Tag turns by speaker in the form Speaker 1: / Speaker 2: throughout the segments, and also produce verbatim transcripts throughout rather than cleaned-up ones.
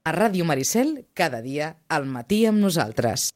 Speaker 1: A Ràdio Maricel, cada dia, al matí amb nosaltres.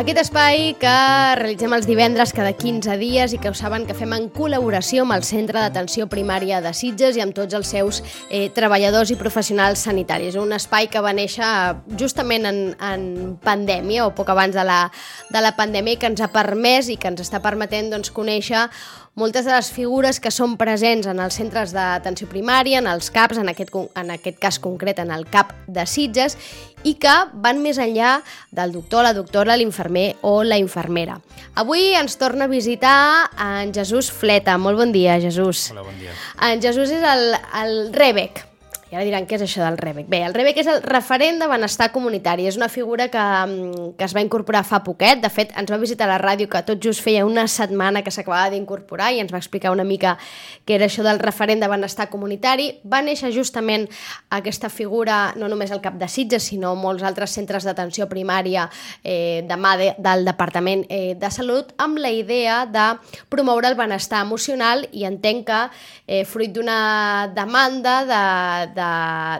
Speaker 2: Aquest espai que realitzem els divendres cada quinze dies i que ho saben que fem en col·laboració amb el Centre d'Atenció Primària de Sitges i amb tots els seus eh, treballadors i professionals sanitaris. Un espai que va néixer justament en, en pandèmia o poc abans de la, de la pandèmia i que ens ha permès i que ens està permetent doncs, conèixer moltes de les figures que són presents en els centres d'atenció primària, en els CAPs, en aquest, en aquest cas concret en el CAP de Sitges, i que van més enllà del doctor, la doctora, l'infermer o la infermera. Avui ens torna a visitar en Jesús Fleta. Molt bon dia, Jesús.
Speaker 3: Hola, bon dia.
Speaker 2: En Jesús és el, el REBEC. I ara diran, què és això del REBEC? Bé, el REBEC és el referent de benestar comunitari. És una figura que, que es va incorporar fa poquet. De fet, ens va visitar a la ràdio que tot just feia una setmana que s'acabava d'incorporar i ens va explicar una mica què era això del referent de benestar comunitari. Va néixer justament aquesta figura, no només al CAP de Sitges, sinó molts altres centres d'atenció primària eh, de mà de, del Departament eh, de Salut, amb la idea de promoure el benestar emocional i entenc que eh, fruit d'una demanda de, de De,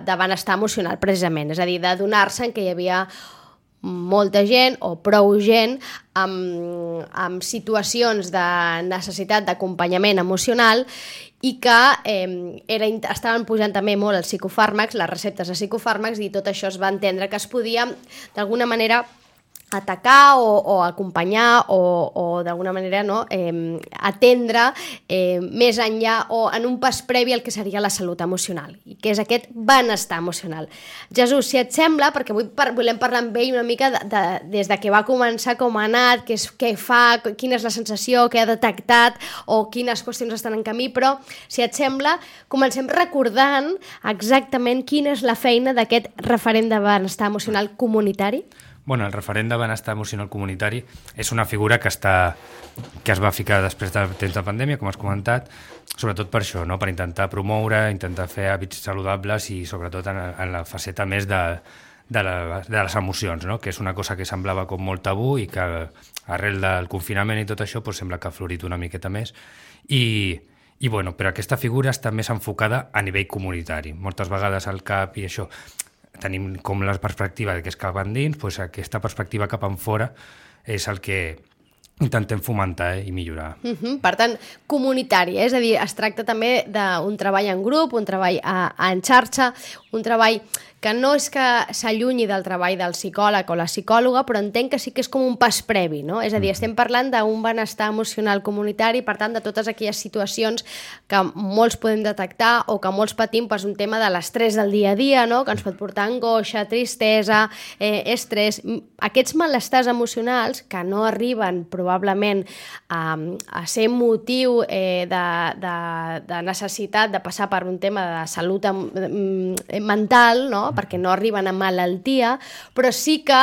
Speaker 2: de benestar emocional, precisament. És a dir, de donar-se en què hi havia molta gent o prou gent amb, amb situacions de necessitat d'acompanyament emocional i que eh, era, estaven pujant també molt els psicofàrmacs, les receptes de psicofàrmacs, i tot això es va entendre que es podia, d'alguna manera, atacar o, o acompanyar o, o d'alguna manera no, eh, atendre eh, més enllà o en un pas previ al que seria la salut emocional, i que és aquest benestar emocional. Jesús, si et sembla, perquè avui par volem parlar amb ell una mica de, de, des de que va començar, com ha anat, què, és, què fa, quina és la sensació, què ha detectat o quines qüestions estan en camí, però si et sembla, comencem recordant exactament quina és la feina d'aquest referent de benestar emocional comunitari.
Speaker 3: Bueno, el referent de benestar emocional comunitari és una figura que està que es va ficar després del temps de pandèmia, com has comentat, sobretot per això, no? Per intentar promoure, intentar fer hàbits saludables i sobretot en, en la faceta més de, de, la, de les emocions, no? Que és una cosa que semblava com molt tabú i que arrel del confinament i tot això pues, sembla que ha florit una miqueta més. I, i bueno, però aquesta figura està més enfocada a nivell comunitari. Moltes vegades al CAP i això tenim com la perspectiva que és cap endins, doncs aquesta perspectiva cap enfora és el que intentem fomentar eh, i millorar.
Speaker 2: Uh-huh. Per tant, comunitari, eh? És a dir, es tracta també d'un treball en grup, un treball a, a en xarxa, un treball que no és que s'allunyi del treball del psicòleg o la psicòloga, però entenc que sí que és com un pas previ, no? És a dir, estem parlant d'un benestar emocional comunitari, per tant, de totes aquelles situacions que molts podem detectar o que molts patim, doncs, un tema de l'estrès del dia a dia, no? Que ens pot portar angoixa, tristesa, eh, estrès, aquests malestars emocionals que no arriben probablement a, a ser motiu eh, de, de, de necessitat de passar per un tema de salut eh, mental, no? Perquè no arriben a malaltia, però sí que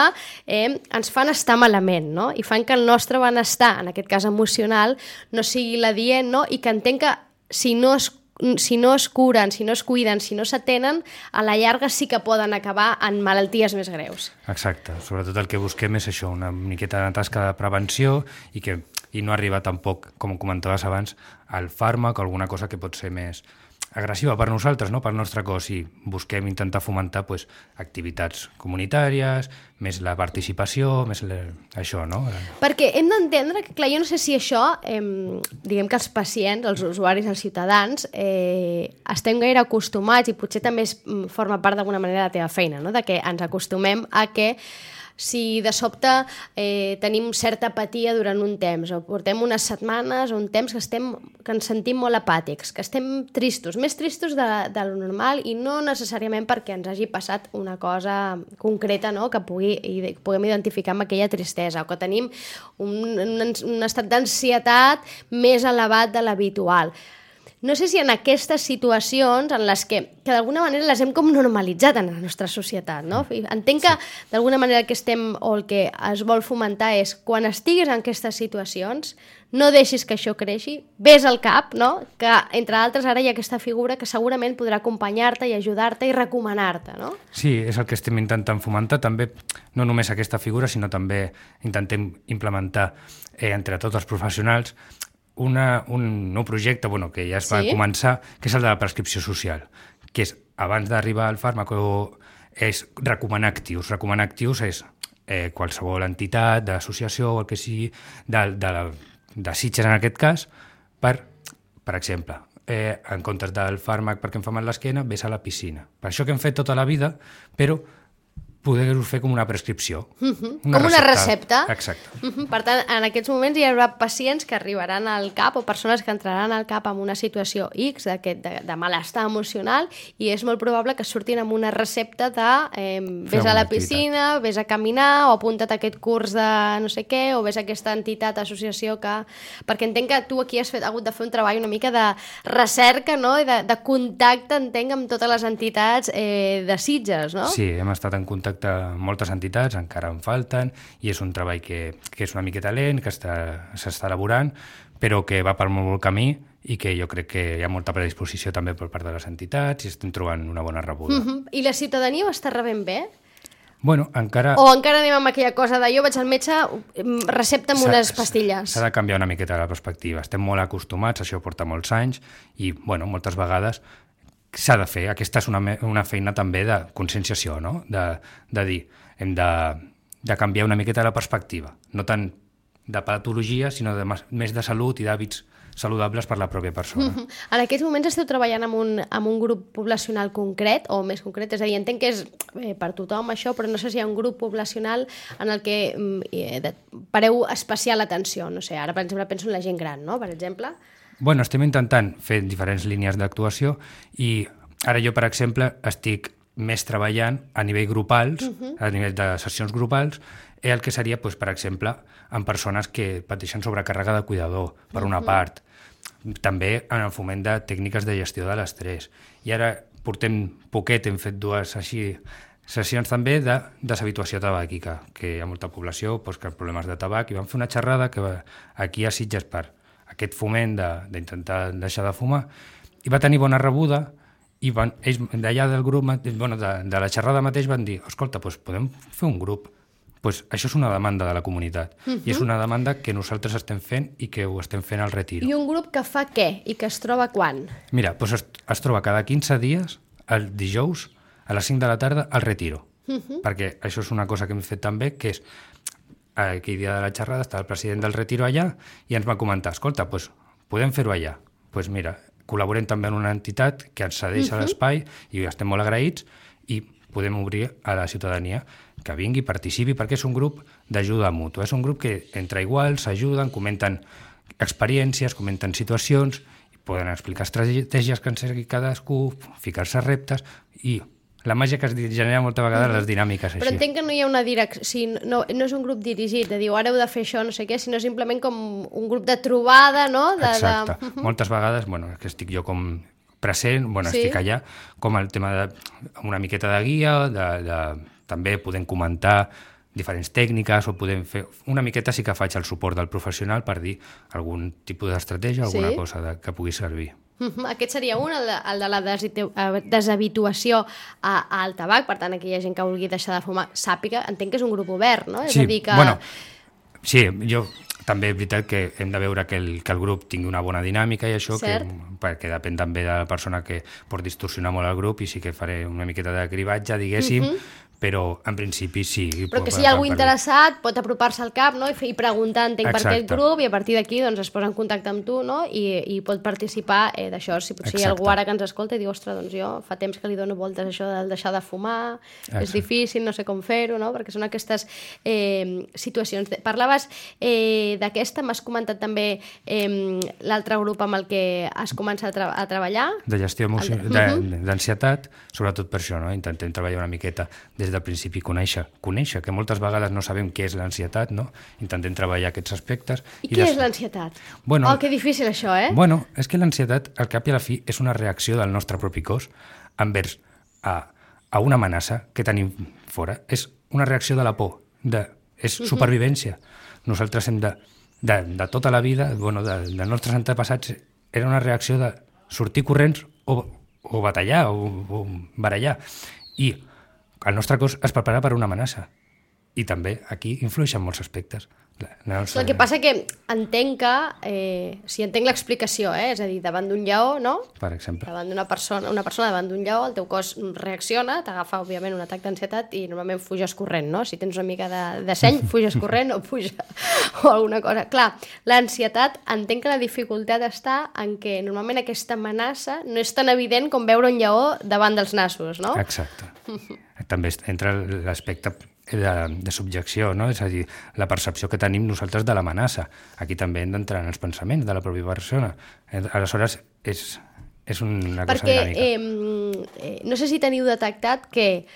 Speaker 2: eh, ens fan estar malament, no? I fan que el nostre benestar, en aquest cas emocional, no sigui l'adient, no? I que entenc que si no es si no es curen, si no es cuiden, si no s'atenen, a la llarga sí que poden acabar en malalties més greus.
Speaker 3: Exacte, sobretot el que busquem és això, una miqueta de tasca de prevenció i, que, i no arriba tampoc, com comentaves abans, al fàrmac o alguna cosa que pot ser més agressiva per nosaltres, no? Pel nostre cos, i busquem intentar fomentar pues, activitats comunitàries, més la participació, més la... això, no?
Speaker 2: Perquè hem d'entendre que, clar, jo no sé si això, eh, diguem que els pacients, els usuaris, els ciutadans, eh, estem gaire acostumats, i potser també es, forma part d'alguna manera de la teva feina, no? De que ens acostumem a que si de sobte eh, tenim certa apatia durant un temps, o portem unes setmanes o un temps que, estem, que ens sentim molt apàtics, que estem tristos, més tristos de, de lo normal, i no necessàriament perquè ens hagi passat una cosa concreta, no? Que pugui, i puguem identificar amb aquella tristesa, o que tenim un, un, un estat d'ansietat més elevat de l'habitual. no sé si en aquestes situacions en les que, que d'alguna manera les hem com normalitzat en la nostra societat, no? Entenc que sí. d'alguna manera el que estem o el que es vol fomentar és quan estiguis en aquestes situacions no deixis que això creixi, ves al cap, no? Que entre altres ara hi ha aquesta figura que segurament podrà acompanyar-te i ajudar-te i recomanar-te, no?
Speaker 3: Sí, és el que estem intentant fomentar, també no només aquesta figura, sinó també intentem implementar eh, entre tots els professionals Una, un nou projecte bueno, que ja es va sí? començar, que és el de la prescripció social, que és, abans d'arribar al fàrmac, és recomanar actius. Recomanar actius és eh, qualsevol entitat, d'associació o el que sigui, de, de, de Sitges en aquest cas, per, per exemple, eh, en comptes del fàrmac perquè em fa mal l'esquena, ves a la piscina. Per això que hem fet tota la vida, però poder-ho fer com una prescripció.
Speaker 2: Uh-huh. Una com recepta. una recepta.
Speaker 3: Exacte.
Speaker 2: Uh-huh. Per tant, en aquests moments hi haurà pacients que arribaran al CAP o persones que entraran al CAP amb una situació X de, de, de malestar emocional i és molt probable que surtin amb una recepta de eh, vés a la piscina, activitat. Vés a caminar o apunta't a aquest curs de no sé què o vés a aquesta entitat, associació que... Perquè entenc que tu aquí has fet, hagut de fer un treball una mica de recerca, no? I de, de contacte, entenc, amb totes les entitats eh, de Sitges, no?
Speaker 3: Sí, hem estat en contacte amb moltes entitats, encara en falten, i és un treball que, que és una miqueta lent, que s'està elaborant, però que va per molt bon camí i que jo crec que hi ha molta predisposició també per part de les entitats i estem trobant una bona rebuda.
Speaker 2: Uh-huh. I la ciutadania ho està rebent bé?
Speaker 3: Bueno, encara...
Speaker 2: O encara anem amb aquella cosa de jo vaig al metge, recepta'm unes pastilles.
Speaker 3: S'ha de canviar una miqueta la perspectiva. Estem molt acostumats, això porta molts anys, i bueno, moltes vegades s'ha de fer. Aquesta és una, una feina també de conscienciació, no? De, de dir, hem de, de canviar una miqueta la perspectiva, no tant de patologia, sinó de, més de salut i d'hàbits saludables per la pròpia persona.
Speaker 2: Uh-huh. En aquests moments esteu treballant amb un, amb un grup poblacional concret, o més concret, és a dir, entenc que és eh, per tothom això, però no sé si hi ha un grup poblacional en el que eh, de, pareu especial atenció, no sé, ara per exemple penso en la gent gran, no?, per exemple.
Speaker 3: Bueno, estem intentant fer diferents línies d'actuació i ara jo, per exemple, estic més treballant a nivell grupals, uh-huh. a nivell de sessions grupals, el que seria, doncs, per exemple, amb persones que pateixen sobrecàrrega de cuidador, per una uh-huh. part. També en el foment de tècniques de gestió de l'estrès. I ara portem poquet, hem fet dues així sessions també de deshabituació tabàquica, que hi ha molta població doncs, que ha problemes de tabac, i vam fer una xerrada que va, aquí a Sitges per aquest foment d'intentar de, deixar de fumar, i va tenir bona rebuda, i van, ells d'allà del grup, bueno, de, de la xerrada mateix van dir, escolta, doncs podem fer un grup. Pues això és una demanda de la comunitat, uh-huh. i és una demanda que nosaltres estem fent i que ho estem fent al Retiro.
Speaker 2: I un grup que fa què? I que es troba quan?
Speaker 3: Mira, doncs es, es troba cada quinze dies, el dijous, a les cinc de la tarda, al Retiro. Uh-huh. Perquè això és una cosa que hem fet també, que és aquell dia de la xerrada està el president del Retiro allà i ens va comentar, escolta, doncs podem fer-ho allà. Doncs pues mira, col·laborem també en una entitat que ens cedeix uh-huh. a l'espai i estem molt agraïts i podem obrir a la ciutadania que vingui, participi, perquè és un grup d'ajuda mútua. És un grup que entre iguals s'ajuden, comenten experiències, comenten situacions, i poden explicar estratègies que en segui cadascú, ficar-se reptes i la màgia que es genera moltes vegades les dinàmiques així.
Speaker 2: Però entenc que no hi ha una direcció, si no, no és un grup dirigit, de dir, ara heu de fer això, no sé què, sinó simplement com un grup de trobada, no? De,
Speaker 3: Exacte.
Speaker 2: De...
Speaker 3: Moltes vegades, bueno, que estic jo com present, bueno, sí. estic allà, com el tema de una miqueta de guia, de, de, també podem comentar diferents tècniques o podem fer... Una miqueta sí que faig el suport del professional per dir algun tipus d'estratègia, alguna sí. cosa de, que pugui servir.
Speaker 2: Uh-huh. Aquest seria un, el de, el de la deshabituació a, al tabac, per tant, aquella gent que vulgui deixar de fumar sàpiga, entenc que és un grup obert, no? És
Speaker 3: sí,
Speaker 2: a dir que...
Speaker 3: bueno, sí, jo també és veritat que hem de veure que el, que el grup tingui una bona dinàmica i això, que, perquè depèn també de la persona que pot distorsionar molt el grup i sí que faré una miqueta de cribatge, diguéssim, uh-huh. però en principi sí.
Speaker 2: Però que si hi ha algú interessat pot apropar-se al CAP, no? I, i preguntar, entenc, per aquest grup, i a partir d'aquí doncs, es posa en contacte amb tu, no? I, i pot participar eh, d'això. Si potser Exacte. Hi ha algú ara que ens escolta i diu, ostres, doncs jo fa temps que li dono voltes a això de deixar de fumar, Exacte. És difícil, no sé com fer-ho, no? Perquè són aquestes eh, situacions. Parlaves eh, d'aquesta, m'has comentat també eh, l'altre grup amb el que has començat a, tra a treballar.
Speaker 3: De gestió emocional, uh-huh. d'ansietat, sobretot per això, no? Intentem treballar una miqueta des des del principi conèixer, conèixer, que moltes vegades no sabem què és l'ansietat, no? Intentem treballar aquests aspectes.
Speaker 2: I, I què des... és l'ansietat?
Speaker 3: Bueno,
Speaker 2: oh, que difícil això, eh?
Speaker 3: Bueno, és que l'ansietat, al cap i a la fi, és una reacció del nostre propi cos envers a, a una amenaça que tenim fora. És una reacció de la por, de, és supervivència. Nosaltres hem de, de, de tota la vida, bueno, de, dels nostres antepassats, era una reacció de sortir corrents o, o batallar o, o barallar. I el nostre cos es prepara per una amenaça. I també aquí influeixen molts aspectes. La, la nostra...
Speaker 2: El que passa que entenc que, eh, si entenc l'explicació, eh, és a dir, davant d'un lleó, no?
Speaker 3: Per exemple.
Speaker 2: Davant d'una persona, una persona davant d'un lleó, el teu cos reacciona, t'agafa, òbviament, un atac d'ansietat i normalment fuges corrent, no? Si tens una mica de, de seny, fuges corrent o puja o alguna cosa. Clar, l'ansietat, entenc que la dificultat està en què normalment aquesta amenaça no és tan evident com veure un lleó davant dels nassos, no?
Speaker 3: Exacte. També entra l'aspecte de, de subjecció, no? És a dir, la percepció que tenim nosaltres de l'amenaça. Aquí també hem d'entrar en els pensaments de la pròpia persona. Aleshores, és, és una cosa
Speaker 2: Perquè,
Speaker 3: dinàmica.
Speaker 2: Eh, no sé si teniu detectat que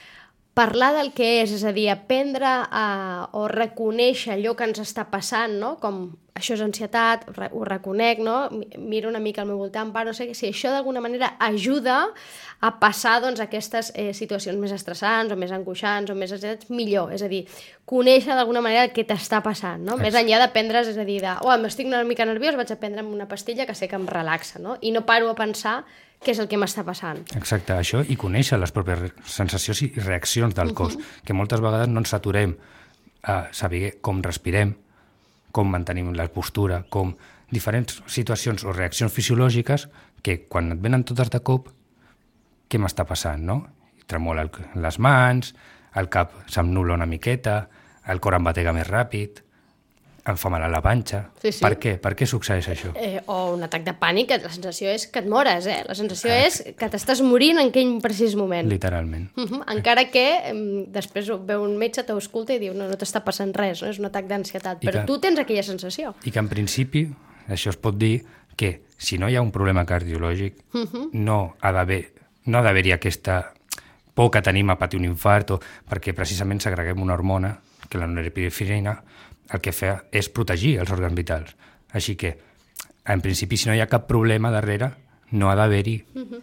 Speaker 2: parlar del que és, és a dir, aprendre a, o reconèixer allò que ens està passant, no? Com això és ansietat, ho reconec, no? Miro una mica al meu voltant, però no sé si això d'alguna manera ajuda a passar doncs, aquestes eh, situacions més estressants o més angoixants o més ansietats millor, és a dir, conèixer d'alguna manera el que t'està passant, no? Més enllà de prendre's, és a dir, de, oh, m'estic una mica nerviós, vaig a prendre'm una pastilla que sé que em relaxa, no? I no paro a pensar què és el que m'està passant. Exacte,
Speaker 3: això, i conèixer les pròpies sensacions i reaccions del cos, uh-huh. que moltes vegades no ens aturem a saber com respirem, com mantenim la postura, com diferents situacions o reaccions fisiològiques que quan et venen totes de cop, què m'està passant, no? Tremola les mans, el cap se'm nul·la una miqueta, el cor em batega més ràpid, em fa mal a la panxa. Sí, sí. Per què? Per què succeeix això?
Speaker 2: Eh, o un atac de pànic, la sensació és que et mores, eh? La sensació ah, és que t'estàs morint en aquell precís moment.
Speaker 3: Literalment.
Speaker 2: Uh-huh. Encara que eh, després veu un metge, t'ausculta i diu no, no t'està passant res, no? És un atac d'ansietat, però que, tu tens aquella sensació.
Speaker 3: I que en principi, això es pot dir que si no hi ha un problema cardiològic, uh-huh. no ha d'haver no ha d'haver-hi aquesta por que tenim a patir un infart, o perquè precisament segreguem una hormona, que la norepinefrina, el que fa és protegir els òrgans vitals. Així que, en principi, si no hi ha cap problema darrere, no ha d'haver-hi.
Speaker 2: Uh-huh.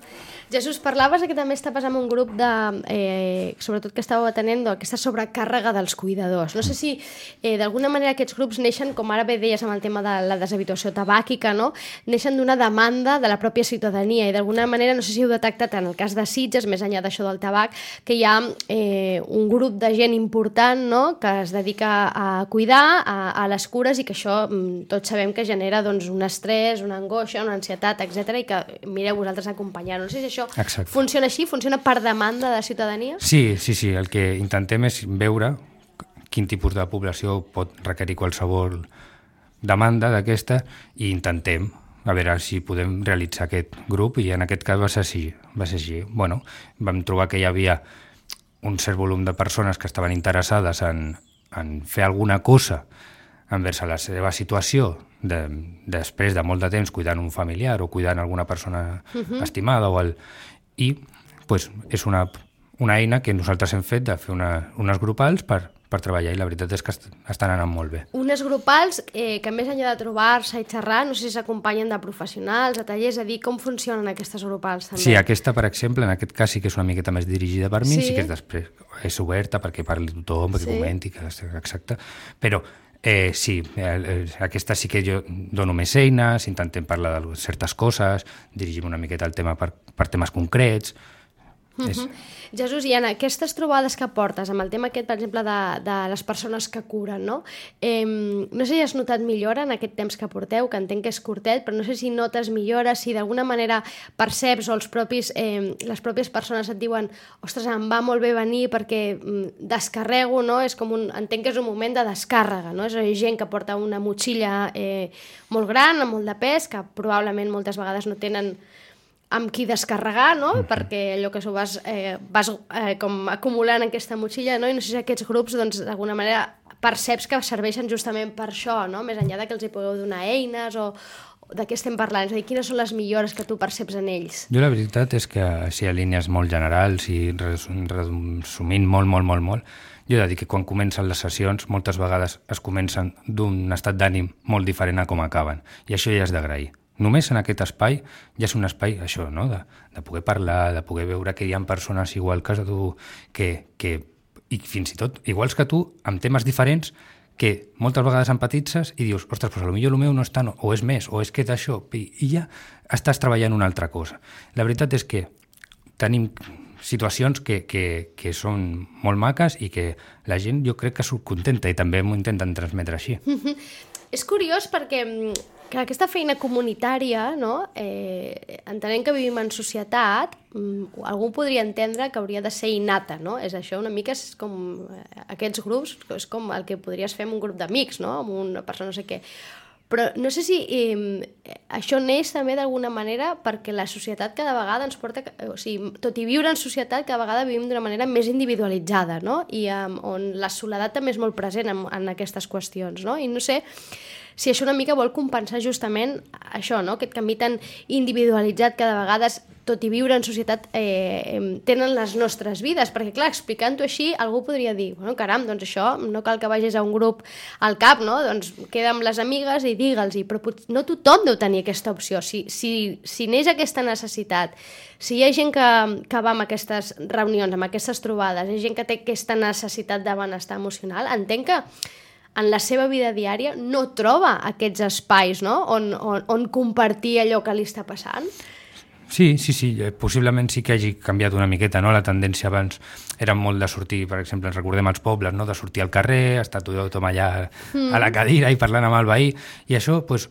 Speaker 2: Jesús, parlaves que també estaves en un grup de, eh, sobretot que estàveu atenent aquesta sobrecàrrega dels cuidadors. No sé si eh, d'alguna manera aquests grups neixen, com ara bé deies amb el tema de la deshabituació tabàquica, no? Neixen d'una demanda de la pròpia ciutadania i d'alguna manera, no sé si heu detectat en el cas de Sitges, més enllà d'això del tabac, que hi ha eh, un grup de gent important, no?, que es dedica a cuidar, a, a les cures, i que això tots sabem que genera doncs, un estrès, una angoixa, una ansietat, etcètera, i que mireu vosaltres acompanyar. No sé si això Exacte. Funciona així? Funciona per demanda de la ciutadania?
Speaker 3: Sí, sí, sí. El que intentem és veure quin tipus de població pot requerir qualsevol demanda d'aquesta i intentem a veure si podem realitzar aquest grup, i en aquest cas va ser així. Va ser així. Bueno, vam trobar que hi havia un cert volum de persones que estaven interessades en, en fer alguna cosa envers la seva situació de, després de molt de temps cuidant un familiar o cuidant alguna persona uh-huh. estimada o el, i pues, és una, una eina que nosaltres hem fet de fer una, unes grupals per, per treballar, i la veritat és que est estan anant molt bé.
Speaker 2: Unes grupals eh, que més enllà de trobar-se i xerrar, no sé si s'acompanyen de professionals, de tallers, a dir com funcionen aquestes grupals també.
Speaker 3: Sí, aquesta, per exemple, en aquest cas sí que és una miqueta més dirigida per mi, sí, sí que és després és oberta perquè parli tothom, perquè sí. comenti, que exacte, però Eh, sí, eh, aquesta sí que jo dono més eines, intentem parlar de certes coses, dirigim una miqueta el tema per, per temes concrets.
Speaker 2: Uh-huh. És... Jesús, i en aquestes trobades que portes, amb el tema aquest, per exemple, de, de les persones que curen, no? Eh, no sé si has notat millora en aquest temps que porteu, que entenc que és curtet, però no sé si notes millora, si d'alguna manera perceps o els propis, eh, les pròpies persones et diuen ostres, em va molt bé venir perquè mm, descarrego, no? És com un, entenc que és un moment de descàrrega, no? És gent que porta una motxilla eh, molt gran, amb molt de pes, que probablement moltes vegades no tenen amb qui descarregar, no? Uh-huh. Perquè allò que s'ho vas, eh, vas eh, com acumulant en aquesta motxilla, no? I no sé si aquests grups, doncs, d'alguna manera perceps que serveixen justament per això, no? Més enllà de que els hi pugueu donar eines o, de què estem parlant? És a dir, quines són les millores que tu perceps en ells?
Speaker 3: Jo la veritat és que, si a línies molt generals i resumint molt, molt, molt, molt, jo he de dir que quan comencen les sessions moltes vegades es comencen d'un estat d'ànim molt diferent a com acaben, i això ja és d'agrair. Només en aquest espai ja és un espai, això, no? de, de poder parlar, de poder veure que hi ha persones igual que tu, que, que, i fins i tot iguals que tu, amb temes diferents, que moltes vegades empatitzes i dius, ostres, però potser el meu no és tant, o és més, o és que d'això, i, i ja estàs treballant una altra cosa. La veritat és que tenim situacions que, que, que són molt maques i que la gent jo crec que surt contenta i també m'ho intenten transmetre així.
Speaker 2: És curiós perquè que aquesta feina comunitària, no? eh, entenent que vivim en societat, algú podria entendre que hauria de ser innata, no? És això, una mica és com aquests grups, és com el que podries fer amb un grup d'amics, no? Amb una persona no sé què. Però no sé si eh, això neix també d'alguna manera perquè la societat cada vegada ens porta... O sigui, tot i viure en societat, cada vegada vivim d'una manera més individualitzada, no? I um, on la soledat també és molt present en, en aquestes qüestions, no? I no sé si això una mica vol compensar justament això, no? Aquest canvi tan individualitzat que de vegades, tot i viure en societat, eh, tenen les nostres vides. Perquè, clar, explicant-ho així, algú podria dir, bueno, caram, doncs això, no cal que vagis a un grup al cap, no? Doncs queda amb les amigues i digue'ls-hi, però no tothom deu tenir aquesta opció. Si, si, si neix aquesta necessitat, si hi ha gent que, que va amb aquestes reunions, amb aquestes trobades, hi ha gent que té aquesta necessitat de benestar emocional, entenc que en la seva vida diària no troba aquests espais, no? on, on, on compartir allò que li està passant.
Speaker 3: Sí, sí, sí, possiblement sí que hagi canviat una miqueta, no? La tendència abans era molt de sortir, per exemple, ens recordem els pobles, no? De sortir al carrer, estar tothom allà mm. a la cadira i parlant amb el veí, i això, doncs,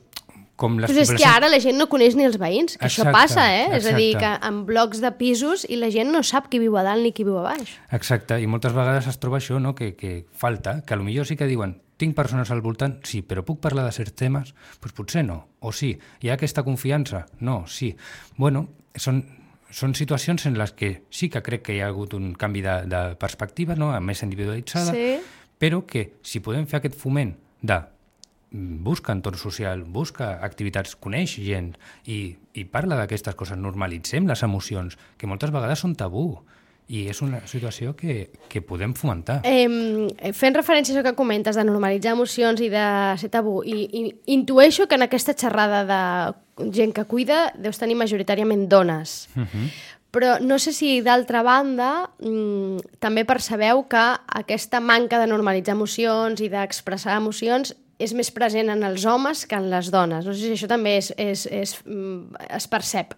Speaker 3: com les...
Speaker 2: Però és que ara la gent no coneix ni els veïns, que
Speaker 3: exacte,
Speaker 2: això passa, eh?
Speaker 3: Exacte.
Speaker 2: És a dir, que en blocs de pisos i la gent no sap qui viu a dalt ni qui viu a baix.
Speaker 3: Exacte, i moltes vegades es troba això, no? Que, que falta, que potser sí que diuen tinc persones al voltant, sí, però puc parlar de certs temes? Doncs potser no, o sí. Hi ha aquesta confiança? No, sí. Bueno, són, són situacions en les que sí que crec que hi ha hagut un canvi de, de perspectiva, no? Més individualitzada,
Speaker 2: sí.
Speaker 3: Però que si podem fer aquest foment de busca entorn social, busca activitats, coneix gent i, i parla d'aquestes coses, normalitzem les emocions, que moltes vegades són tabú. I és una situació que, que podem fomentar.
Speaker 2: Eh, fent referència a això que comentes, de normalitzar emocions i de ser tabú, i, i intueixo que en aquesta xerrada de gent que cuida deus tenir majoritàriament dones. Uh-huh. Però no sé si, d'altra banda, mmm, també percebeu que aquesta manca de normalitzar emocions i d'expressar emocions és més present en els homes que en les dones. No sé si això també és, és, és, es percep.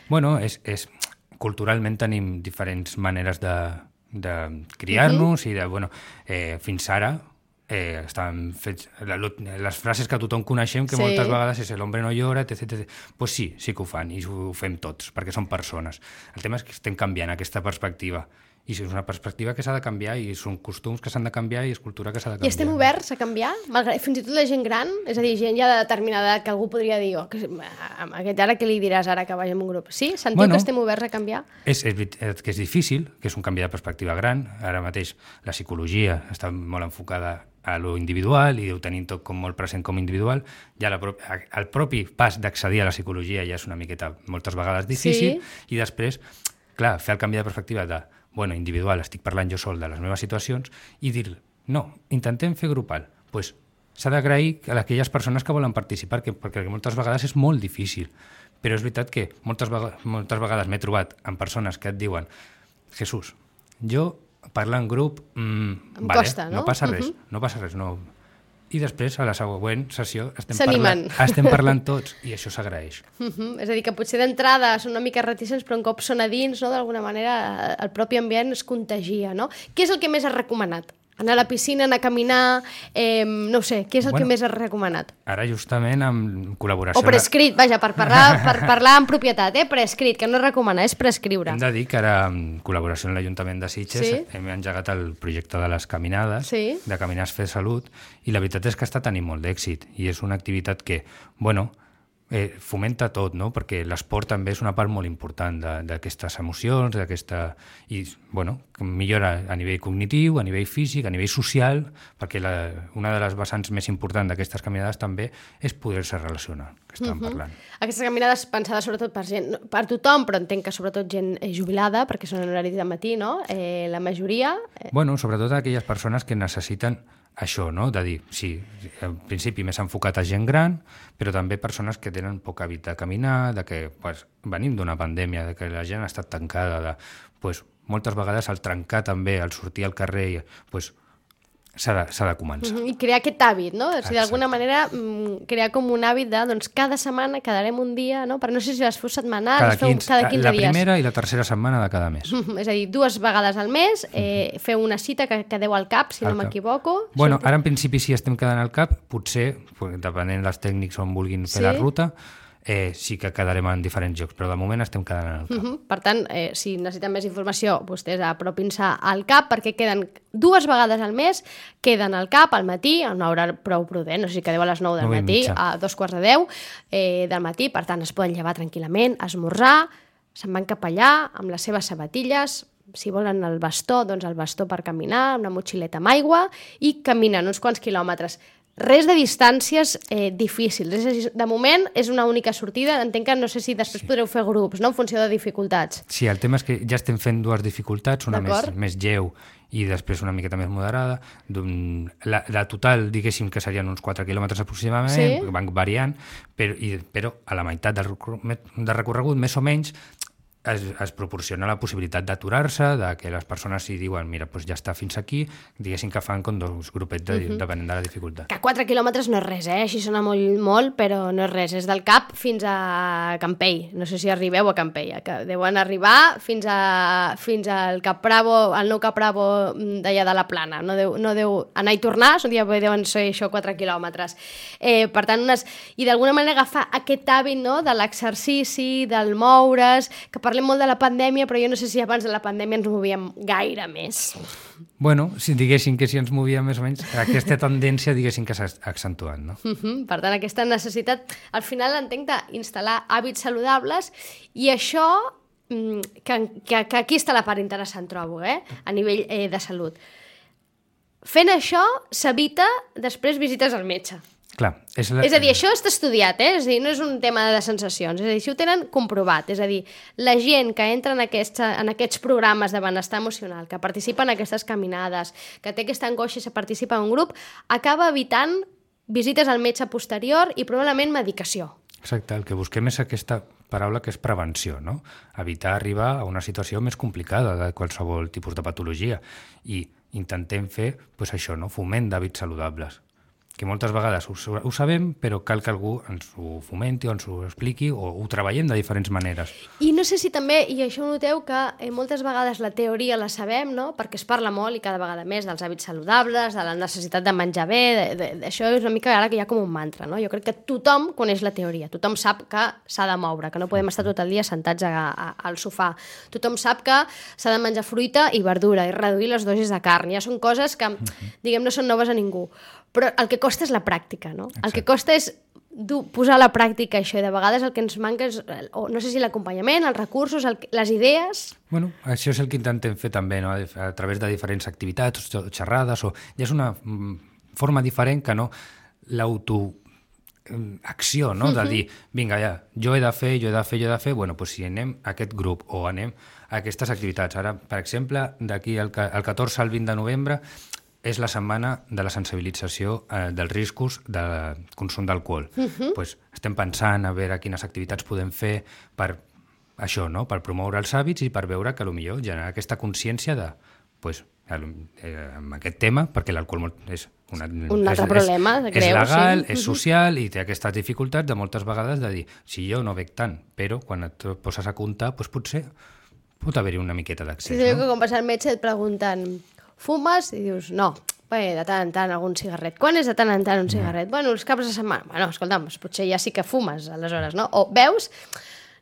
Speaker 3: Bueno, és... és... culturalment tenim diferents maneres de, de criar-nos uh-huh. i de, bueno, eh, fins ara eh, estan fets, la, les frases que tothom coneixem, que sí. moltes vegades és l'home no llora, etcètera, etcètera. Pues sí, sí que ho fan i ho fem tots, perquè són persones. El tema és que estem canviant aquesta perspectiva. I és una perspectiva que s'ha de canviar i són costums que s'han de canviar i és cultura que s'ha de canviar.
Speaker 2: I estem oberts a canviar? Malgrat, fins i tot la gent gran? És a dir, gent ja de determinada edat que algú podria dir oh, que, a aquest ara què li diràs ara que vagi en un grup? Sí? Sentiu bueno, que estem oberts a canviar?
Speaker 3: És, és, que és difícil, que és un canvi de perspectiva gran. Ara mateix la psicologia està molt enfocada a lo individual i ho tenim tot com molt present com individual. Ja la, el propi pas d'accedir a la psicologia ja és una miqueta moltes vegades difícil sí. I després, clar, fer el canvi de perspectiva de bueno, individual, estic parlant jo sol de les meves situacions i dir, no, intentem fer grupal. Doncs pues, s'ha d'agrair a aquelles persones que volen participar, que, perquè moltes vegades és molt difícil. Però és veritat que moltes vegades, moltes vegades m'he trobat amb persones que et diuen Jesús, jo parlar en grup, mmm,
Speaker 2: em
Speaker 3: vale,
Speaker 2: costa, no?
Speaker 3: No passa res,
Speaker 2: uh-huh.
Speaker 3: no passa res, no... I després, a la següent sessió, estem,
Speaker 2: parlant,
Speaker 3: estem parlant tots i això s'agraeix.
Speaker 2: Uh-huh. És a dir, que potser d'entrada són una mica reticents, però un cop són a dins, no, d'alguna manera, el propi ambient es contagia, no? Què és el que més has recomanat? Anar a la piscina, anar a caminar, eh, no sé, què és el bueno, que més has recomanat?
Speaker 3: Ara justament amb col·laboració...
Speaker 2: O prescrit, vaja, per parlar, per parlar en propietat, eh? Prescrit, que no és recomanar, és prescriure.
Speaker 3: Hem de dir que ara, en col·laboració amb l'Ajuntament de Sitges, sí? Hem engegat el projecte de les caminades, sí? De Caminars Fer Salut, i la veritat és que està tenint molt d'èxit, i és una activitat que, bueno, eh, fomenta tot, no? Perquè l'esport també és una part molt important d'aquestes emocions, d'aquesta... I, bueno, millora a nivell cognitiu, a nivell físic, a nivell social, perquè la, una de les vessants més importants d'aquestes caminades també és poder-se relacionar, que estàvem uh-huh. parlant.
Speaker 2: Aquestes caminades pensades sobretot per gent, per tothom, però entenc que sobretot gent jubilada, perquè són en horari de matí, no? Eh, la majoria... Eh...
Speaker 3: Bueno, sobretot aquelles persones que necessiten això, no? De dir, sí, en principi més enfocat a gent gran, però també persones que tenen poc hàbit de caminar, de que pues, venim d'una pandèmia, de que la gent ha estat tancada, de, pues, moltes vegades al trencar també, al sortir al carrer, pues, s'ha de, s'ha de començar.
Speaker 2: Uh-huh. I crear aquest hàbit, no? O sigui, d'alguna manera, crear com un hàbit de, doncs, cada setmana quedarem un dia, no? Però no sé si les feu setmanals,
Speaker 3: cada
Speaker 2: les feu
Speaker 3: quinze,
Speaker 2: cada quinze
Speaker 3: la
Speaker 2: dies.
Speaker 3: La primera i la tercera setmana de cada mes.
Speaker 2: Uh-huh. És a dir, dues vegades al mes, eh, feu una cita que quedeu al cap, si al no m'equivoco.
Speaker 3: Bueno, ara en principi sí estem quedant al cap, potser, depenent dels tècnics on vulguin fer sí? la ruta, Eh, sí que quedarem en diferents llocs, però de moment estem quedant en el cap.
Speaker 2: Uh-huh. Per tant, eh, si necessiten més informació, vostès apropin-se al cap, perquè queden dues vegades al mes, queden al cap al matí, a una hora prou prudent, no sé si quedeu a les nou del matí, a dos quarts de deu eh, del matí, per tant es poden llevar tranquil·lament, esmorzar, se'n van cap allà amb les seves sabatilles, si volen el bastó, doncs el bastó per caminar, una motxileta amb aigua, i caminen uns quants quilòmetres. Res de distàncies eh, difícils. És a dir, de moment és una única sortida. Entenc que no sé si després sí. podreu fer grups, no?, en funció de dificultats.
Speaker 3: Sí, el tema és que ja estem fent dues dificultats, una més, més lleu i després una miqueta més moderada. La, la total, diguéssim, que serien uns quatre quilòmetres aproximadament, sí? Van variant, però, i, però a la meitat del, del recorregut, més o menys, Es, es proporciona la possibilitat d'aturar-se, de que les persones si diuen, mira, doncs ja està fins aquí, diguéssim que fan com dos grupets de, uh-huh. depenent de la dificultat.
Speaker 2: Que quatre quilòmetres no és res, eh? Així sona molt, molt, però no és res. És del Cap fins a Campell. No sé si arribeu a Campell, que deuen arribar fins, a, fins al Cap Bravo, al nou Cap Bravo d'allà de la Plana. No deu, no deu anar i tornar, un dia deuen ser això quatre quilòmetres. Eh, per tant, unes, i d'alguna manera agafar aquest hàbit, no?, de l'exercici, del moure's, que per Parlem molt de la pandèmia, però jo no sé si abans de la pandèmia ens movíem gaire més.
Speaker 3: Bueno, si diguéssim que si ens movíem més o menys, aquesta tendència diguéssim que s'ha accentuat, no?
Speaker 2: Uh-huh. Per tant, aquesta necessitat, al final entenc d'instal·lar hàbits saludables, i això, que, que, que aquí està la part interessant, trobo, eh? A nivell eh, de salut. Fent això, s'evita després visites al metge.
Speaker 3: Clar, és, la...
Speaker 2: és a dir, això està estudiat, eh? És a dir, no és un tema de sensacions, és a dir, si ho tenen comprovat, és a dir, la gent que entra en, aquesta, en aquests programes de benestar emocional, que participa en aquestes caminades, que té aquesta angoixa i se participa en un grup, acaba evitant visites al metge posterior i probablement medicació.
Speaker 3: Exacte, el que busquem és aquesta paraula que és prevenció, no? Evitar arribar a una situació més complicada de qualsevol tipus de patologia, i intentem fer pues, això, no? Foment d'hàbits saludables, que moltes vegades ho, ho sabem, però cal que algú ens ho fomenti o ens ho expliqui o ho treballem de diferents maneres.
Speaker 2: I no sé si també, i això ho noteu, que eh, moltes vegades la teoria la sabem, no?, perquè es parla molt i cada vegada més dels hàbits saludables, de la necessitat de menjar bé, de, de, de, això és una mica ara que hi ha com un mantra, no? Jo crec que tothom coneix la teoria, tothom sap que s'ha de moure, que no podem estar tot el dia sentats a, a, al sofà, tothom sap que s'ha de menjar fruita i verdura i reduir les dosis de carn, ja són coses que, diguem, no són noves a ningú. Però el que costa és la pràctica, no? Exacte. El que costa és posar a la pràctica això, i de vegades el que ens manca és, o no sé si l'acompanyament, els recursos, el, les idees...
Speaker 3: Bueno, això és el que intentem fer també, no?, a través de diferents activitats, xerrades, o ja és una forma diferent que no l'autoacció, no?, de dir, vinga, ja, jo he de fer, jo he de fer, jo he de fer, bueno, doncs si anem a aquest grup o anem a aquestes activitats. Ara, per exemple, d'aquí al catorze al vint de novembre, és la setmana de la sensibilització eh, dels riscos del consum d'alcohol. Uh-huh. Pues estem pensant a veure quines activitats podem fer per això, no?, per promoure els hàbits i per veure que potser generar aquesta consciència de, pues, eh, amb aquest tema, perquè l'alcohol és una,
Speaker 2: un altre és, problema,
Speaker 3: és,
Speaker 2: greu,
Speaker 3: és legal,
Speaker 2: sí.
Speaker 3: És social i té aquestes dificultats de moltes vegades de dir, si jo no bec tant, però quan et poses a comptar, pues, potser pot haver-hi una miqueta d'accés.
Speaker 2: Sí, no? Que quan vas al metge et pregunten, fumes? I dius, no. Bé, de tant en tant algun cigarret. Quan és de tant en tant un cigarret? No. Bueno, els caps de setmana. Bueno, escolta'm, potser ja sí que fumes, aleshores, no? O veus?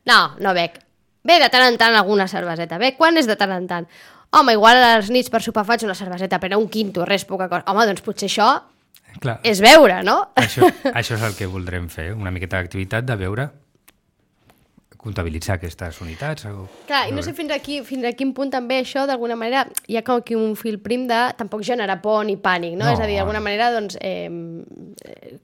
Speaker 2: No, no bec. Bé, de tant en tant alguna cerveseta. Bé, quan és de tant en tant? Home, igual a les nits per sopar faig una cerveseta, però un quinto, res, poca cosa. Home, doncs potser això
Speaker 3: Clar.
Speaker 2: és veure, no?
Speaker 3: Això, això és el que voldrem fer, una miqueta d'activitat de veure, comptabilitzar aquestes unitats. O...
Speaker 2: Clar, i no sé fins aquí, fins a quin punt també això, d'alguna manera, hi ha com aquí un fil prim de tampoc generar por ni pànic, no? no. És a dir, d'alguna manera, doncs, eh,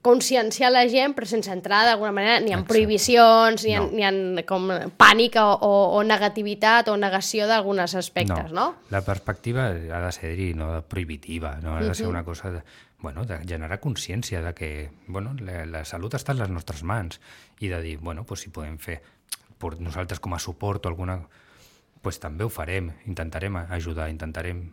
Speaker 2: conscienciar la gent, però sense entrar, d'alguna manera, ni en prohibicions, ni en, no. ni en com pànic o, o, o negativitat o negació d'alguns aspectes, no. no?
Speaker 3: La perspectiva ha de ser-hi, no prohibitiva, no? Ha de ser una cosa de, bueno, de generar consciència de que bueno, la, la salut està a les nostres mans i de dir, bueno, pues, si podem fer per nosaltres com a suport o alguna... pues també ho farem, intentarem ajudar, intentarem...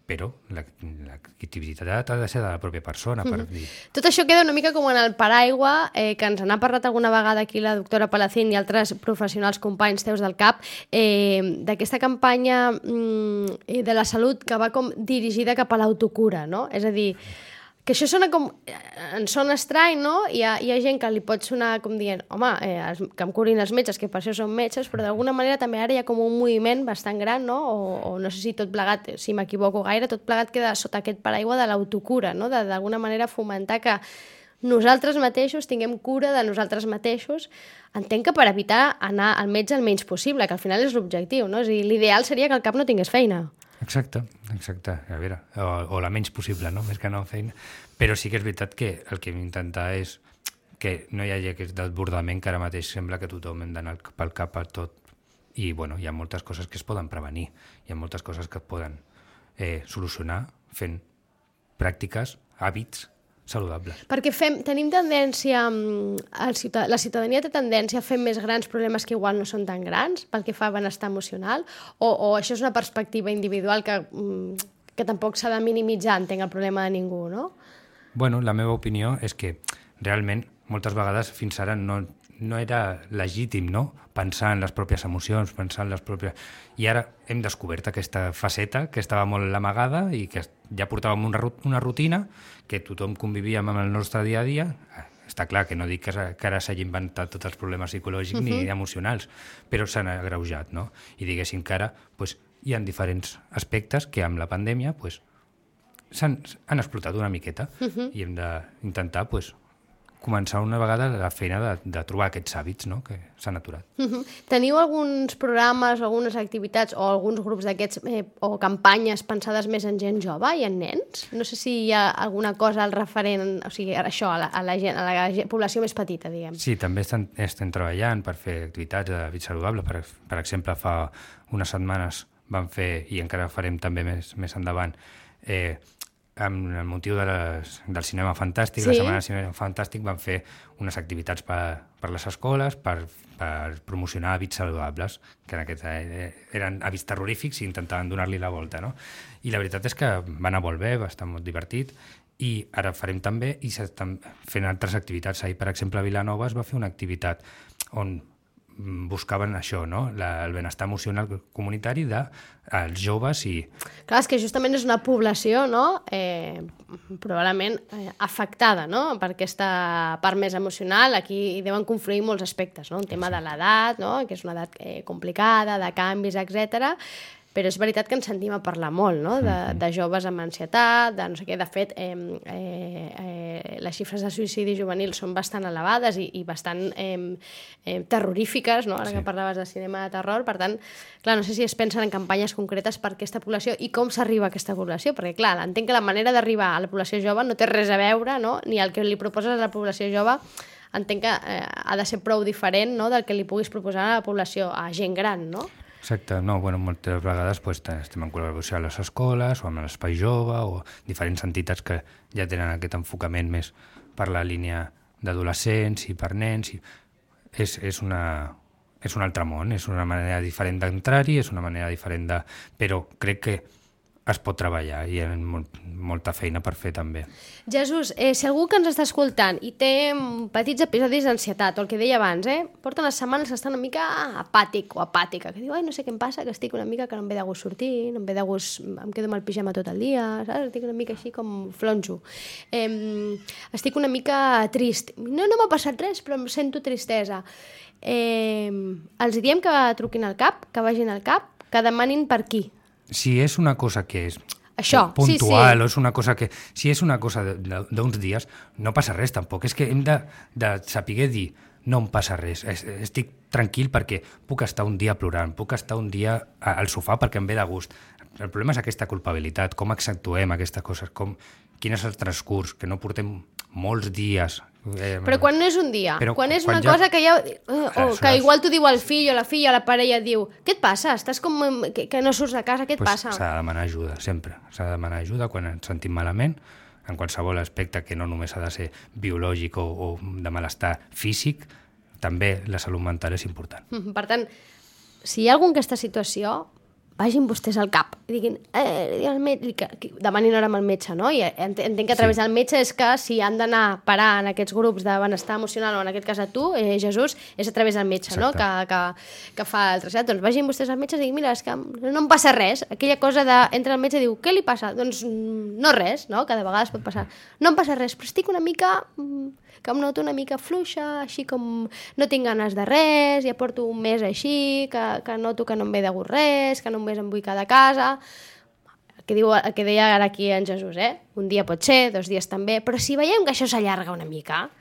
Speaker 3: Però l'activitat ha de ser de la pròpia persona. Per dir...
Speaker 2: Tot això queda una mica com en el paraigua, eh, que ens n'ha parlat alguna vegada aquí la doctora Palacín i altres professionals companys teus del C A P, eh, d'aquesta campanya mm, de la salut que va com dirigida cap a l'autocura, no? És a dir, que això sona com... en sona estrany, no? Hi ha, hi ha gent que li pot sonar com dient home, eh, que em curin els metges, que per això són metges, però d'alguna manera també ara hi ha com un moviment bastant gran, no? O, o no sé si tot plegat, si m'equivoco gaire, tot plegat queda sota aquest paraigua de l'autocura, no? De d'alguna manera fomentar que nosaltres mateixos tinguem cura de nosaltres mateixos. Entenc que per evitar anar al metge el menys possible, que al final és l'objectiu, no? És a dir, l'ideal seria que el cap no tingués feina.
Speaker 3: Exacte, exacte, a veure, o, o la menys possible, no? Més que no feina. Però sí que és veritat que el que hem d'intentar és que no hi hagi aquest desbordament que ara mateix sembla que tothom hem d'anar pel cap per tot. I, bueno, hi ha moltes coses que es poden prevenir, hi ha moltes coses que es poden eh, solucionar fent pràctiques, hàbits saludables.
Speaker 2: Perquè fem, tenim tendència, el ciutad la ciutadania té tendència a fer més grans problemes que igual no són tan grans, pel que fa a benestar emocional, o, o això és una perspectiva individual que, que tampoc s'ha de minimitzar, entenc, el problema de ningú, no?
Speaker 3: Bueno, la meva opinió és que realment moltes vegades fins ara no, no era legítim, no?, pensar en les pròpies emocions, pensar en les pròpies... I ara hem descobert aquesta faceta que estava molt amagada i que ja portàvem una, una rutina, que tothom convivíem amb el nostre dia a dia. Està clar que no dic que, que ara s'hagi inventat tots els problemes psicològics uh-huh. ni emocionals, però s'han agreujat, no? I diguéssim que ara pues, hi ha diferents aspectes que amb la pandèmia pues, s'han han explotat una miqueta uh-huh. i hem d'intentar pues, començar una vegada la feina de, de trobar aquests hàbits, no?, que s'han aturat.
Speaker 2: Uh-huh. Teniu alguns programes, algunes activitats o alguns grups d'aquests eh, o campanyes pensades més en gent jove i en nens? No sé si hi ha alguna cosa al referent, o sigui, això, a la, a la, gent, a la població més petita, diguem.
Speaker 3: Sí, també estem, estem treballant per fer activitats de vida saludable. Per, per exemple, fa unes setmanes vam fer, i encara farem també més, més endavant, eh, amb el motiu de les, del cinema fantàstic, sí. La Setmana del Cinema Fantàstic van fer unes activitats per, per les escoles per, per promocionar hàbits saludables, que en aquest, eh, eren hàbits terrorífics i intentaven donar-li la volta, no? I la veritat és que va anar molt bé, va estar molt divertit, i ara farem també, i s'estan fent altres activitats. Ahir, per exemple, a Vilanova es va fer una activitat on buscaven això, no?, la, el benestar emocional comunitari dels joves i...
Speaker 2: Clar, és que justament és una població, no?, eh, probablement eh, afectada, no?, per aquesta part més emocional. Aquí hi deuen confluir molts aspectes, no?, un tema sí. de l'edat, no?, que és una edat eh, complicada, de canvis, etcètera. Però és veritat que ens sentim a parlar molt, no?, de, de joves amb ansietat, de no sé què. De fet, eh, eh, eh, les xifres de suïcidi juvenil són bastant elevades i, i bastant eh, eh, terrorífiques, no?, ara sí. que parlaves de cinema de terror. Per tant, clar, no sé si es pensen en campanyes concretes per aquesta població i com s'arriba a aquesta població, perquè, clar, entenc que la manera d'arribar a la població jove no té res a veure, no?, ni el que li proposes a la població jove entenc que eh, ha de ser prou diferent, no?, del que li puguis proposar a la població, a gent gran, no?
Speaker 3: Exacte, no, bueno, moltes vegades pues, estem en col·laboració a les escoles o amb l'Espai Jove o diferents entitats que ja tenen aquest enfocament més per la línia d'adolescents i per nens. I és, és, una, és un altre món, és una manera diferent d'entrar-hi, és una manera diferent de... Però crec que es pot treballar i hi ha molt, molta feina per fer també.
Speaker 2: Jesús, eh, si algú que ens està escoltant i té petits episodis d'ansietat, o el que deia abans, eh, porta unes setmanes que està una mica apàtic o apàtica, que diu, ai, no sé què em passa, que estic una mica que no em ve de gust sortir, no em ve de gust, em quedo amb el pijama tot el dia, saps? Estic una mica així com flonjo. Eh, estic una mica trist. No, no m'ha passat res, però em sento tristesa. Eh, els diem que truquin al cap, que vagin al cap, que demanin per qui.
Speaker 3: Si és una cosa que és
Speaker 2: Això, sí, sí.
Speaker 3: puntual, o és una cosa que... Si és una cosa d'uns dies, no passa res tampoc. És que hem de, de saber dir, no em passa res, estic tranquil perquè puc estar un dia plorant, puc estar un dia al sofà perquè em ve de gust. El problema és aquesta culpabilitat, com accentuem aquestes coses, com, quin és el transcurs, que no portem molts dies...
Speaker 2: Eh, però quan no és un dia,
Speaker 3: però
Speaker 2: quan és
Speaker 3: quan
Speaker 2: una
Speaker 3: ja...
Speaker 2: cosa que ja... Uh, o que igual t'ho diu el fill o la filla o la parella, et diu, què et passa? Estàs com que, que no surts de casa, què et
Speaker 3: pues
Speaker 2: passa?
Speaker 3: S'ha de demanar ajuda, sempre. S'ha de demanar ajuda quan ens sentim malament, en qualsevol aspecte que no només ha de ser biològic o, o de malestar físic, també la salut mental és important.
Speaker 2: Per tant, si hi ha algú en aquesta situació, vagin vostès al cap i diguin, eh, el metge, que, que demanin hora amb el metge, no? I entenc que a través sí. del metge és que si han d'anar a parar en aquests grups de benestar emocional, o en aquest cas a tu, eh, Jesús, és a través del metge, Exacte. no? Que, que, que fa el trasllat. Doncs vagin vostès al metge i diguin, mira, és que no em passa res. Aquella cosa de, entra al metge i diu, què li passa? Doncs no res, no? Que de vegades pot passar. No em passa res, però estic una mica... que em noto una mica fluixa, així com no tinc ganes de res, ja porto un mes així, que, que noto que no em ve de gust res, que només em vull quedar a casa... El que, diu, el que deia ara aquí en Jesús, eh? Un dia pot ser, dos dies també, però si veiem que això s'allarga una mica,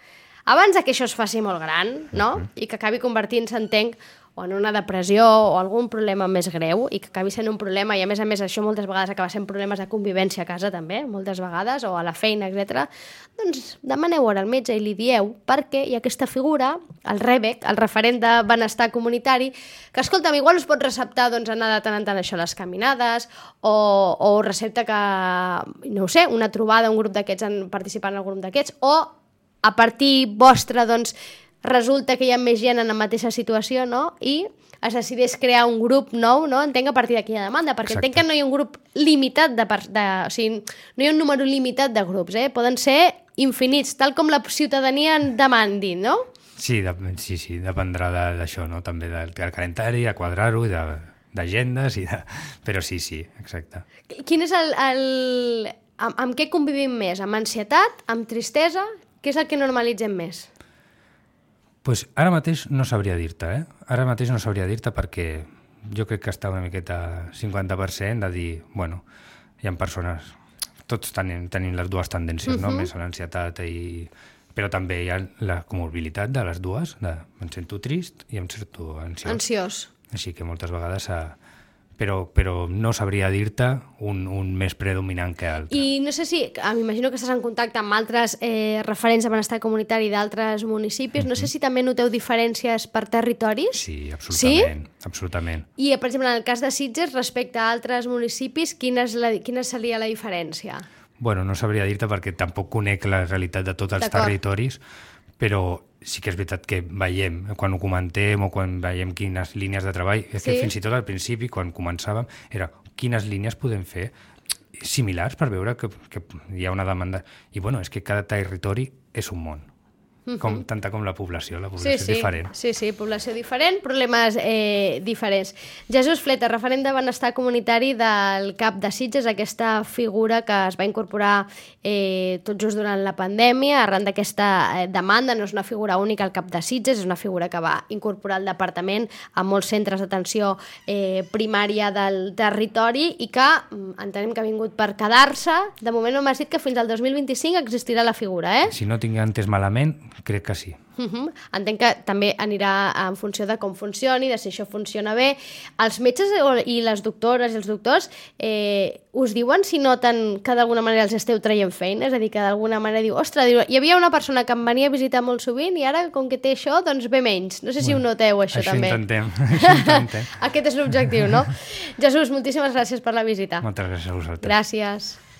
Speaker 2: abans que això es faci molt gran, no? I que acabi convertint-se, entenc, o en una depressió o algun problema més greu i que acabi sent un problema, i a més a més això moltes vegades acaba sent problemes de convivència a casa també, moltes vegades, o a la feina, etcètera. Doncs demaneu hora al metge i li dieu perquè hi ha aquesta figura, el REBEC, el referent de benestar comunitari, que, escolta'm, igual us pot receptar doncs, anar de tant en tant això, les caminades, o, o recepta que, no ho sé, una trobada, un grup d'aquests, participant en el grup d'aquests, o a partir vostra, doncs, resulta que hi ha més gent en la mateixa situació, no? I es decideix crear un grup nou, no? Entenc a partir d'aquí la demanda, perquè Exacte. Entenc que no hi ha un grup limitat de, de... O sigui, no hi ha un número limitat de grups, eh? Poden ser infinits, tal com la ciutadania en demandi, no?
Speaker 3: Sí, de, sí, sí, dependrà d'això, no? També del, del calendari, a quadrar-ho, d'agendes, i de... però sí, sí, exacte.
Speaker 2: Quin és el... el... Amb, amb què convivim més? Amb ansietat? Amb tristesa? Què és el que normalitzem més?
Speaker 3: Pues ara mateix no sabria dir-te, eh? Ara mateix no sabria dir-te perquè jo crec que està una miqueta cinquanta per cent de dir, bueno, hi ha persones, tots tenim, tenim les dues tendències, uh-huh. no? Més a l'ansietat i... Però també hi ha la comorbilitat de les dues, de em sento trist i em sento ansiós.
Speaker 2: Ansiós.
Speaker 3: Així que moltes vegades... A... Però, però no sabria dir-te un, un més predominant que altre.
Speaker 2: I no sé si, m'imagino que estàs en contacte amb altres eh, referents de benestar comunitari d'altres municipis, mm-hmm. no sé si també noteu diferències per territoris?
Speaker 3: Sí, absolutament. Sí? Absolutament.
Speaker 2: I, per exemple, en el cas de Sitges, respecte a altres municipis, quina, és la, quina seria la diferència?
Speaker 3: Bueno, no sabria dir-te perquè tampoc conec la realitat de tots els territoris, però sí que és veritat que veiem, quan ho comentem o quan veiem quines línies de treball, és sí. que fins i tot al principi, quan començàvem, era quines línies podem fer similars per veure que, que hi ha una demanda. I bueno, és que cada territori és un món. Com, tanta com la població, la població
Speaker 2: sí,
Speaker 3: és
Speaker 2: sí.
Speaker 3: diferent.
Speaker 2: Sí, sí, població diferent, problemes eh, diferents. Jesús Fleta, referent de benestar comunitari del CAP de Sitges, aquesta figura que es va incorporar eh, tot just durant la pandèmia, arran d'aquesta eh, demanda, no és una figura única al CAP de Sitges, és una figura que va incorporar el departament a molts centres d'atenció eh, primària del territori i que entenem que ha vingut per quedar-se. De moment no m'has dit que fins al dos mil vint-i-cinc existirà la figura, eh?
Speaker 3: Si no tinc entès malament, crec que sí.
Speaker 2: Uh-huh. Entenc que també anirà en funció de com funcioni, de si això funciona bé. Els metges i les doctores i els doctors eh, us diuen si noten que d'alguna manera els esteu traient feina? És a dir, que d'alguna manera diu, ostres, diu, hi havia una persona que em venia a visitar molt sovint i ara, com que té això, doncs ve menys. No sé si bueno, ho noteu, això,
Speaker 3: això
Speaker 2: també.
Speaker 3: Intentem, això intentem.
Speaker 2: Aquest és l'objectiu, no? Jesús, moltíssimes gràcies per la visita.
Speaker 3: Moltes gràcies a vosaltres.
Speaker 2: Gràcies.